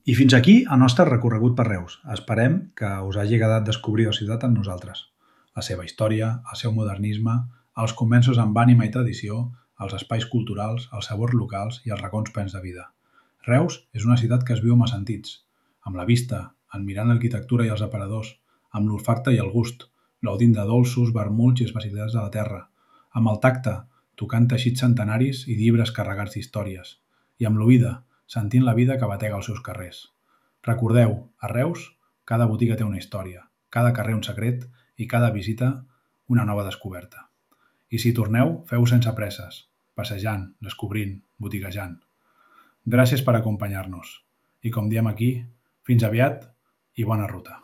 I fins aquí el nostre recorregut per Reus. Esperem que us hagi agradat descobrir la ciutat amb nosaltres. La seva història, el seu modernisme, els convenços amb ànima i tradició, els espais culturals, els sabors locals i els racons plens de vida. Reus és una ciutat que es viu amb els sentits, amb la vista, admirant l'arquitectura i els aparadors, amb l'olfacte i el gust, gaudint de dolços, vermuts i especialitats de la terra, amb el tacte, tocant teixits centenaris i llibres carregats d'històries, i amb l'oïda, sentint la vida que batega als seus carrers. Recordeu, a Reus, cada botiga té una història, cada carrer un secret i cada visita una nova descoberta. I si torneu, feu sense presses, passejant, descobrint, botiguejant. Gràcies per acompanyar-nos. I com diem aquí, fins aviat i bona ruta.